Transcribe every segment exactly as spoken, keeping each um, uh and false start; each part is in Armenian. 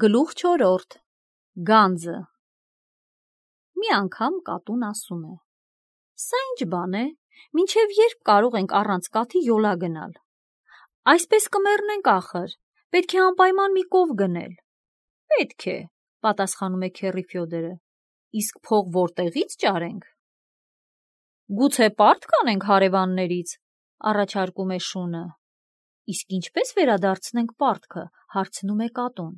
Գլուխ չորրորդ Գանձը Մի անգամ կատուն ասում է. Սա ինչ բան է, մինչև երբ կարող ենք առանց կաթի յոլա գնալ։ Այսպես կմեռնենք ախր, պետք է անպայման մի կով գնել։ Պետք է, պատասխանում է Քեռի Ֆյոդորը, իսկ փող որտեղից ճարենք։ Գուցե պարտ կանենք հարևաններից, առաջարկում է շունը։ Իսկ ինչպես վերադարձնենք պարտքը, հարցնում է կատուն։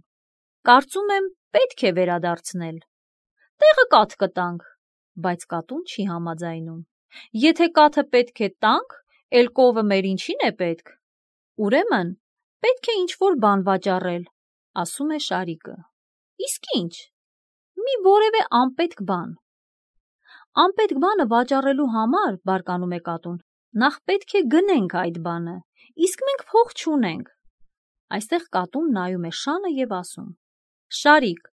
Կարծում եմ, պետք է վերադարձնել։ Տեղը կաթ կտանք, բայց կատուն չի համաձայնում։ Եթե կաթը պետք է տանք, էլ կովը մեր ինչին է պետք։ Ուրեմն, պետք է ինչ-որ բան վաճառել, ասում է Շարիկը։ Իսկ ինչ։ Մի որևէ անպետք բան։ Անպետք բանը վաճառելու համար, բարկանում է կատուն, նախ պետք է գնենք այդ բանը, իսկ մենք փող չունենք։ Այստեղ կատուն նայում է շանը և ասում. Շարիկ,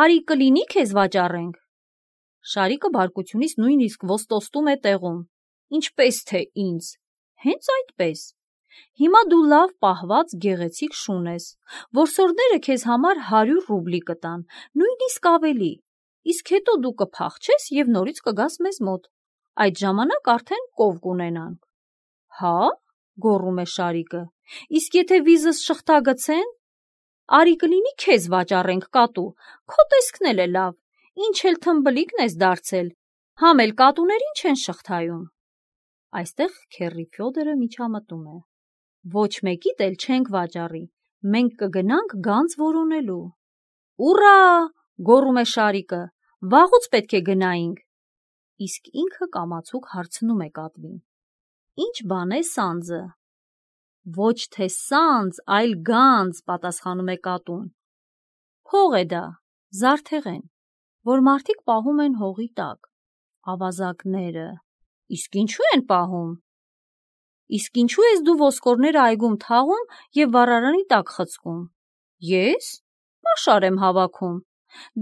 արի կլինի քեզ վաճառենք։ Շարիկը բարկությունից նույնիսկ ոստոստում է տեղում։ Ինչպես թե ինձ։ Հենց այդպես։ Հիմա դու լավ պահված գեղեցիկ շուն ես, որսորդները քեզ համար հարյուր ռուբլի կտան, նույնիսկ ավելի, իսկ հետո դու կփախչես և նորից կգաս մեզ մոտ։ Այդ ժամանակ արդեն կով կունենանք։ Հա՞, գոռում է Շարիկը, իսկ եթե վիզս շղթա գցեն։ Արի կլինի քեզ վաճառենք կատու, քո տեսքն էլ է լավ, ինչ էլ թմբլիկն ես դարձել, համ էլ կատուներին չեն շղթայում։ Այստեղ Քեռի Ֆյոդորը միջամտում է. Ոչ մեկիդ էլ չենք վաճառի, մենք կգնանք գանձ որոնելու։ Ուռա, գոռում է Շարիկը, վաղուց պետք է գնայինք։ Իսկ ինքը կամացուկ հարցնում է կատվին. Ինչ բան է սանձը։ Ոչ թե սանձ, այլ գանձ, պատասխանում է կատուն։ Փող է դա, զարդեղեն, որ մարդիկ պահում են հողի տակ, ավազակները։ Իսկ ինչու են պահում։ Իսկ ինչու ես դու ոսկորները այգում թաղում և վառարանի տակ խցկում։ Ես պաշար եմ հավաքում։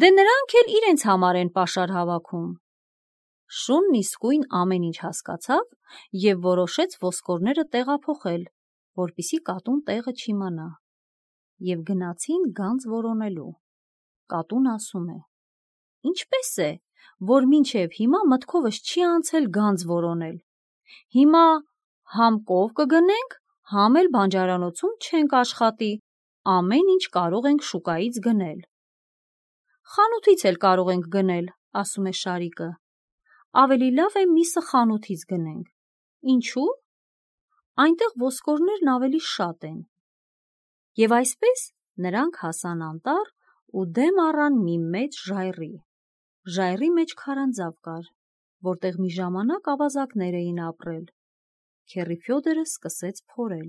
Դե նրանք էլ իրենց համար են պաշար հավաքում։ Շունն իսկույն ամեն ինչ հասկացավ և որոշեց ոսկորները տեղափոխել, որպեսզի կատուն տեղը չիմանա։ Եվ գնացին գանձ որոնելու։ Կատուն ասում է. Ինչպես է, որ մինչև հիմա մտքովս չի անցել գանձ որոնել։ Հիմա համ կով կգնենք, համ էլ բանջարանոցում չենք աշխատի, ամեն ինչ կարող ենք շուկայից գնել։ Խանութից էլ կարող ենք գնել, ասում է Շարիկը։ Ավելի լավ է միսը խանութից գնենք։ Ինչու՞։ Այնտեղ ոսկորներն ավելի շատ են։ Եվ այսպես նրանք հասան անտառ ու դեմ առան մի մեծ ժայռի։ Ժայռի մեջ քարանձավ կար, որտեղ մի ժամանակ ավազակներ էին ապրել։ Քեռի Ֆյոդորը սկսեց փորել,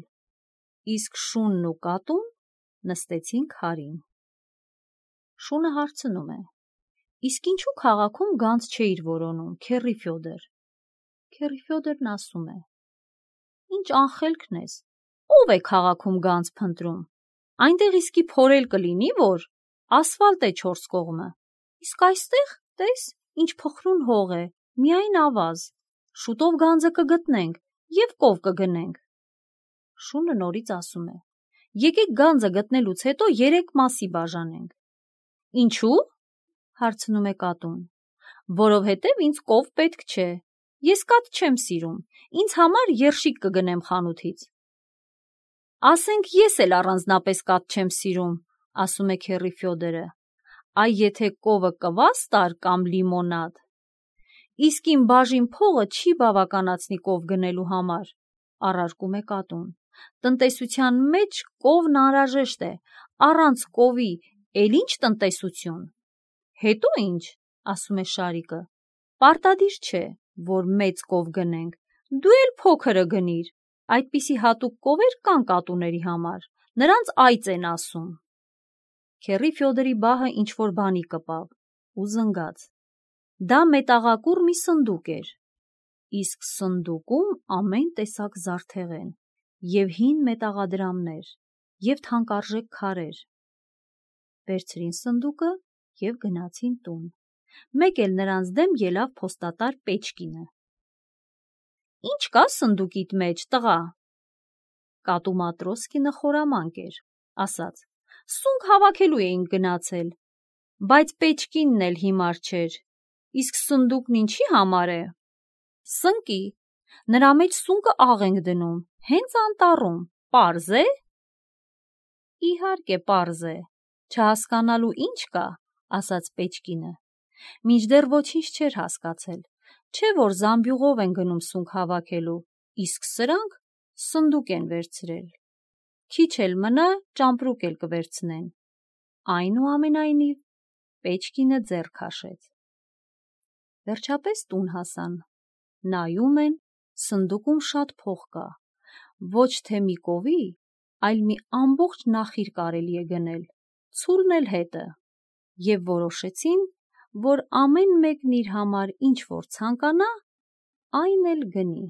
իսկ շունն ու կատուն նստեցին քարին։ Շունը հարցնում է. Իսկ ինչու քաղաքում գանձ չէիր որոնում, Քեռի Ֆյոդոր։ Քեռի Ֆյոդորն ասում է. Ինչ անխելքն ես, ով է քաղաքում գանձ փնտրում։ Այնտեղ իսկի փորել կլինի, որ ասֆալտ է չորս կողմը, իսկ այստեղ, տես, ինչ փխրուն հող է, միայն ավազ, շուտով գանձը կգտնենք և կով կգնենք։ Շունը նորից ասում է. Եկեք գանձը գտնելուց հետո երեք մասի բաժանենք։ Ինչու՞, հարցնում է կատուն։ Որովհետև ինձ կով պետք չէ, ես կաթ չեմ սիրում, ինձ համար երշիկ կգնեմ խանութից։ Ասենք ես էլ առանձնապես կաթ չեմ սիրում, ասում է Քեռի Ֆյոդորը, այ եթե կովը կվաստ կամ լիմոնադ։ Իսկ իմ բաժին փողը չի բավականացնի կով գնելու համար, առարկում է կատուն։ Տնտեսության մեջ կովն անհրաժեշտ է, առանց կովի էլ ինչ տնտեսություն։ Հետո ինչ, ասում է Շարիկը, պարտադիր չէ, որ մեծ կով գնենք, դու էլ փոքրը գնիր, այդպիսի հատուկ կովեր կան կատուների համար, նրանց այծ են ասում։ Քեռի Ֆյոդորի բահը ինչ-որ բանի կպավ ու զնգաց։ Դա մետաղակուռ մի սնդուկ էր, իսկ սնդուկում ամեն տեսակ զարդեղեն, և հին մետաղադրամներ, և թանկարժեք քարեր։ Վերցրին սնդուկը և գնացին տուն։ Մեկ էլ նրանց դեմ ելավ փոստատար Պեչկինը։ Ինչ կա սնդուկիդ մեջ, տղա։ Կատու Մատրոսկինը խորամանկ էր, ասաց. Սունկ հավաքելու էինք գնացել, բայց պեչկինն էլ հիմար չէր, իսկ սնդուկն ինչի համար է։ Սնկի, նրա մեջ սունկը աղ ենք դնում, հենց անտառում, պարզ է։ Իհարկե պարզ է, չհասկանալու ինչ կա, ասաց պեչկինը, մինչդեռ ոչինչ չէր հասկացել, չէ որ զամբյուղով են գնում սունկ հավաքելու, իսկ սրանք սնդուկ են վերցրել։ Քիչ էլ մնա, ճամպրուկ էլ կվերցնեն։ Այնուամենայնիվ, պեչկինը ձեռ քաշեց։ Վերջապես տուն հասան։ Նայում են, սնդուկում շատ փող կա, ոչ թե մի կովի, այլ մի ամբողջ նախիր կարելի է գնել, ցուլն էլ հետը, և որոշեցին, որ ամեն մեկն իր համար ինչ որ ցանկանա, այն էլ գնի։